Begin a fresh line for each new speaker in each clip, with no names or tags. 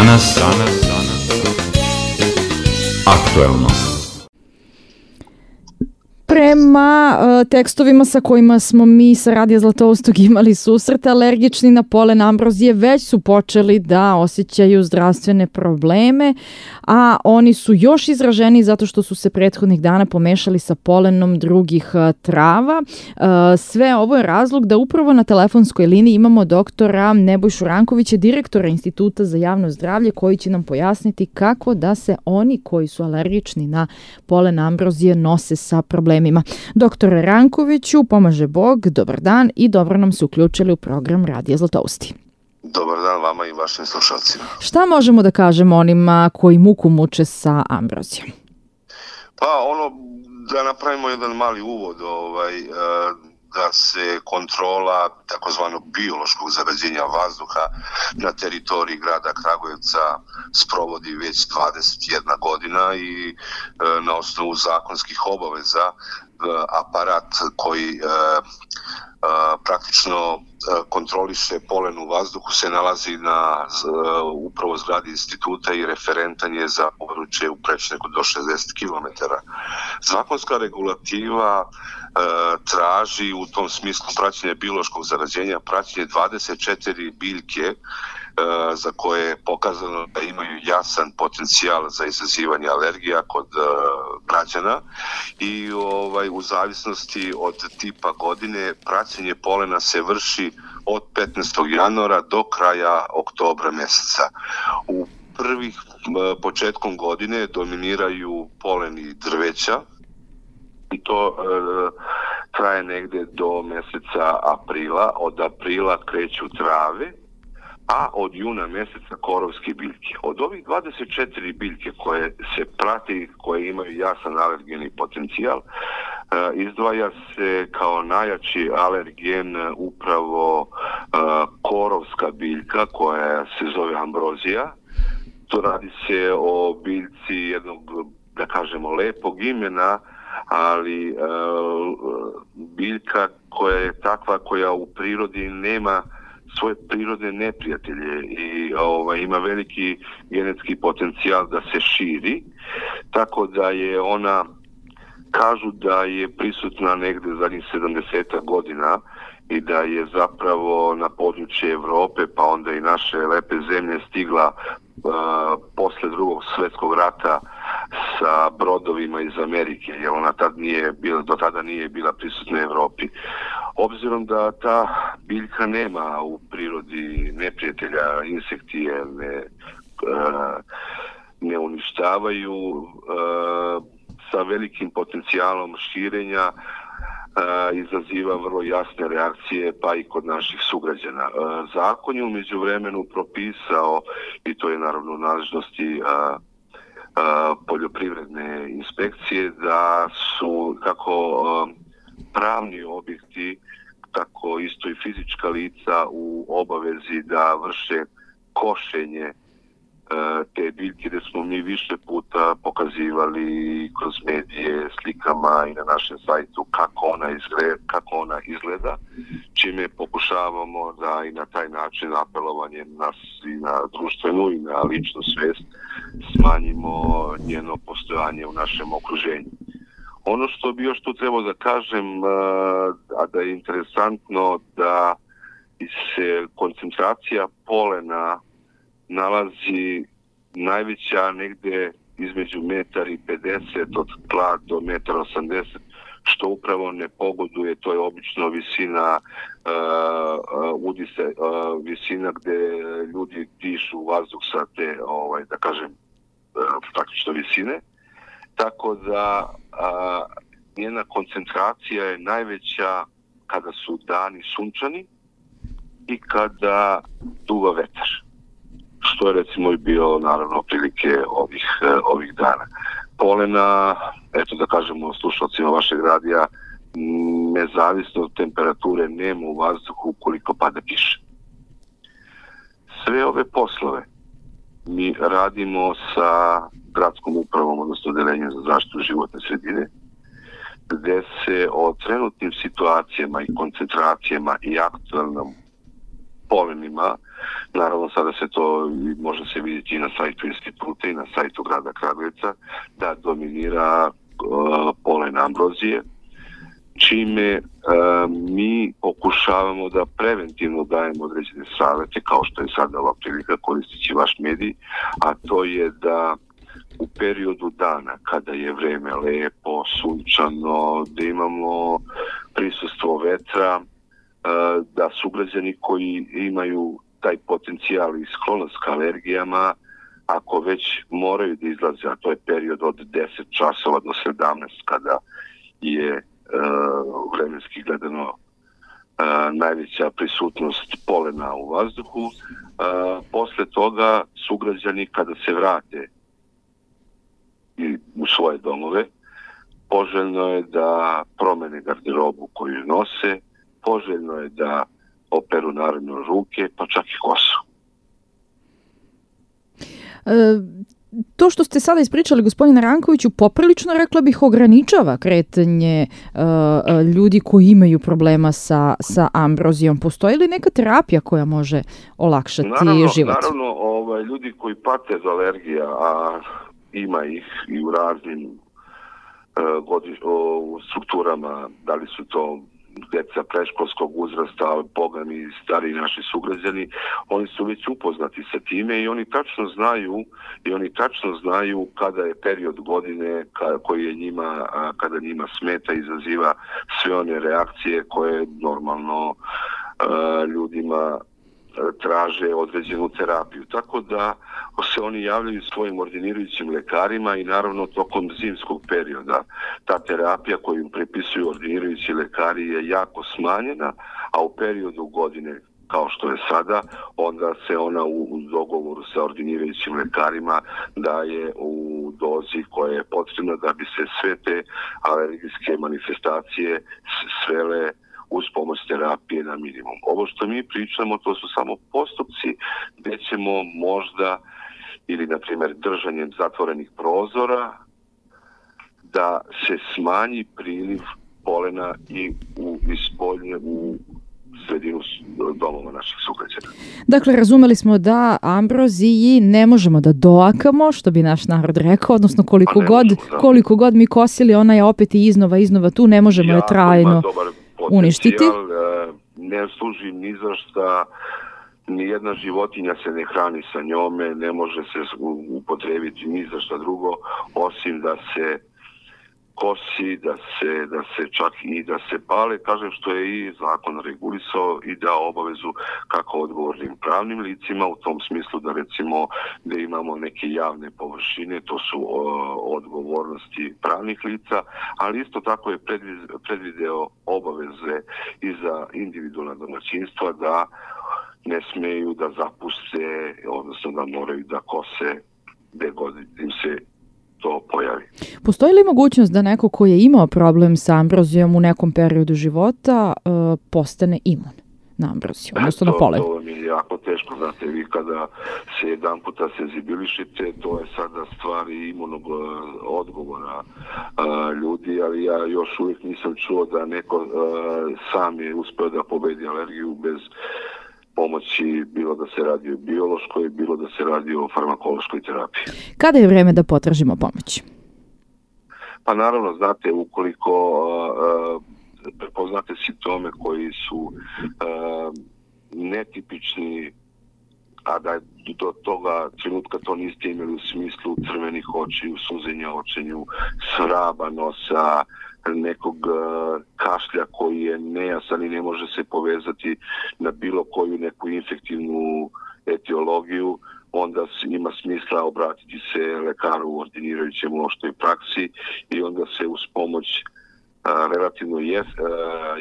Danas aktuelno.
Prema tekstovima sa kojima smo mi sa Radija Zlatoustog imali susrete, alergični na polen ambrozije već su počeli da osjećaju zdravstvene probleme, a oni su još izraženiji zato što su se prethodnih dana pomešali sa polenom drugih trava. Sve ovo je razlog da upravo na telefonskoj liniji imamo doktora Nebojšu Rankovića, direktora Instituta za javno zdravlje, koji će nam pojasniti kako da se oni koji su alergični na polen ambrozije nose sa problemima. Doktore Rankoviću, pomaže Bog, dobar dan i dobro nam se uključili u program Radija Zlatousti.
Dobar dan vama i vašim slušalcima.
Šta možemo da kažemo onima koji muku muče sa ambrozijom?
Pa da napravimo jedan mali uvod, da se kontrola takozvanog biološkog zagađenja vazduha na teritoriji grada Kragujevca sprovodi već 21 godina i na osnovu zakonskih obaveza aparat koji praktično kontroliše polen u vazduhu se nalazi na upravo zgradi instituta i referentan je za područje u prečniku do 60 km. Zakonska regulativa traži u tom smislu praćenje biološkog zagađenja, praćenje 24 biljke za koje je pokazano da imaju jasan potencijal za izazivanje alergija kod građana i u zavisnosti od tipa godine praćenje polena se vrši od 15. januara do kraja oktobra mjeseca. U prvih početkom godine dominiraju poleni drveća i to traje negdje do mjeseca aprila. Od aprila kreću trave, a od juna mjeseca korovske biljke. Od ovih 24 biljke koje se prati, koje imaju jasan alergeni potencijal, izdvaja se kao najjači alergen upravo korovska biljka koja se zove ambrozija. To radi se o biljci jednog, da kažemo, lepog imena, ali biljka koja je takva koja u prirodi nema svoje prirodne neprijatelje i ima veliki genetski potencijal da se širi, tako da je ona, kažu da je prisutna negdje zadnjih 70 godina i da je zapravo na područje Europe pa onda i naše lepe zemlje stigla posle Drugog svjetskog rata sa brodovima iz Amerike, jer ona do tada nije bila prisutna u Europi. Obzirom da ta biljka nema u prirodi neprijatelja, insekti je ne uništavaju, sa velikim potencijalom širenja izaziva vrlo jasne reakcije pa i kod naših sugrađana. Zakon je u međuvremenu propisao, i to je naravno u nadležnosti poljoprivredne inspekcije, da su kako pravni objekti, tako isto i fizička lica u obavezi da vrše košenje te biljke, gdje smo mi više puta pokazivali kroz medije, slikama i na našem sajtu kako ona izgleda, čime pokušavamo da i na taj način apelovanje nas i na društvenu i na ličnu svijest smanjimo njeno postojanje u našem okruženju. Ono što bi još tu trebao da kažem, a da je interesantno, da se koncentracija polena nalazi najveća negdje između 1,50 od tla do 1,80 m, što upravo ne pogoduje, to je obično visina udise, visina gdje ljudi dišu vazduh sa te, da kažem, praktično visine. Tako da njena koncentracija je najveća kada su dani sunčani i kada duva vetar, što je recimo i bio naravno prilike ovih dana. Polena, eto da kažemo slušalcima vašeg radija, nezavisno od temperature nema u vazduhu ukoliko pada kiša. Sve ove poslove mi radimo sa gradskom upravom, odnosno odeljenjem za zaštitu životne sredine, gdje se o trenutnim situacijama i koncentracijama i aktualnom polenima Naravno, sada se to može se vidjeti i na sajtu instituta i na sajtu grada Kragujevca, da dominira polen ambrozije, čime mi pokušavamo da preventivno dajemo određene savete, kao što je sada ova prilika koristeći vaš medij, a to je da u periodu dana kada je vreme lepo, sunčano, da imamo prisustvo vetra, da sugrađani koji imaju taj potencijal i sklonost ka alergijama, ako već moraju da izlaze, a to je period od 10 časova do 17 kada je vremenski gledano najveća prisutnost polena u vazduhu, posle toga sugrađani kada se vrate u svoje domove, poželjno je da promene garderobu koju nose, poželjno je da operu naravno ruke, pa čak i kosu.
To što ste sada ispričali, gospodine Rankoviću, poprilično, rekla bih, ograničava kretanje ljudi koji imaju problema sa ambrozijom. Postoji li neka terapija koja može olakšati život?
Naravno, ljudi koji pate od alergija, a ima ih i u raznim strukturama, da li su to deca predškolskog uzrasta, bogami i stariji naši sugrađani, oni su već upoznati sa time i oni tačno znaju kada je period godine koji je njima, kada njima smeta, izaziva sve one reakcije koje normalno ljudima traže određenu terapiju. Tako da se oni javljaju svojim ordinirajućim lekarima i naravno tokom zimskog perioda ta terapija koju prepisuju ordinirajući lekari je jako smanjena, a u periodu godine kao što je sada, onda se ona u dogovoru sa ordinirajućim lekarima daje u dozi koja je potrebna da bi se sve te alergijske manifestacije svele uz pomoć terapije na minimum. Ovo što mi pričamo, to su samo postupci gdje ćemo možda, ili na primjer držanjem zatvorenih prozora, da se smanji priliv polena i u sredinu domova naših sugrađana.
Dakle, razumeli smo da ambroziji ne možemo da doakamo, što bi naš narod rekao, odnosno koliko god mi kosili, ona je opet i iznova tu, ne možemo je trajno uništiti.
Ne služi ni za šta, nijedna životinja se ne hrani sa njome, ne može se upotrebiti ni za šta drugo, osim da se kosi, da se čak i da se pale, kažem što je i zakon regulisao i dao obavezu kako odgovornim pravnim licima, u tom smislu da recimo da imamo neke javne površine, to su odgovornosti pravnih lica, ali isto tako je predvideo obaveze i za individualna domaćinstva da ne smeju da zapuste, odnosno da moraju da kose gde god im se to pojavi.
Postoji li mogućnost da neko ko je imao problem sa ambrozijom u nekom periodu života postane imun na ambroziju, odnosno na polen?
To mi je jako teško, znate, vi kada se jedan puta senzibilišite, to je sada stvar imunog odgovora ljudi, ali ja još uvijek nisam čuo da neko sam je uspeo da pobedi alergiju bez pomoći, bilo da se radi o biološkoj, bilo da se radi o farmakološkoj terapiji.
Kada je vreme da potražimo pomoć?
Pa naravno, znate, ukoliko prepoznate simptome koji su netipični, a da do toga trenutka to niste imali u smislu crvenih očiju, suzenja očenju, svraba nosa, nekog kašlja koji je nejasan i ne može se povezati na bilo koju neku infektivnu etiologiju, onda ima smisla obratiti se lekaru u ordinirajućem u opštoj praksi i onda se uz pomoć relativno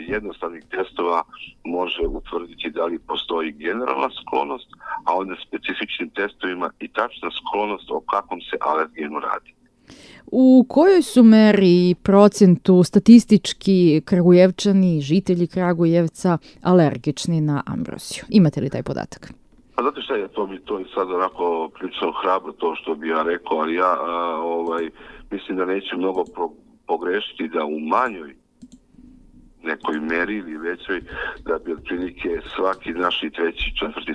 jednostavnih testova može utvrditi da li postoji generalna sklonost, a onda specifičnim testovima i tačna sklonost o kakvom se alergenu radi.
U kojoj su meri procentu statistički Kragujevčani, žitelji Kragujevca alergični na ambroziju? Imate li taj podatak?
Pa znate šta je, to je sad onako prilično hrabro to što bi ja rekao, ali ja mislim da neću mnogo pogrešiti da u manjoj nekoj meri ili većoj, da bi otprilike svaki naš i treći, četvrti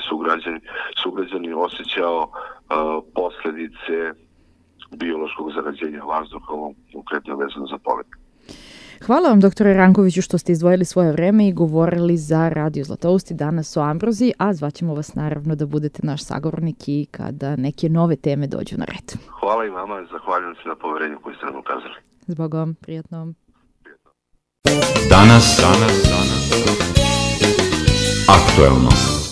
sugrađani osjećao posledice biološkog zagađenja vazduha, konkretno vezano za polet.
Hvala vam, doktore Rankoviću, što ste izdvojili svoje vreme i govorili za Radio Zlatousti danas o ambroziji, a zvaćemo vas naravno da budete naš sagovornik i kada neke nove teme dođu na red.
Hvala i vama, zahvaljujem se na poverenju koje ste nam ukazali.
Zbogom, prijatno.
Danas, aktuelno.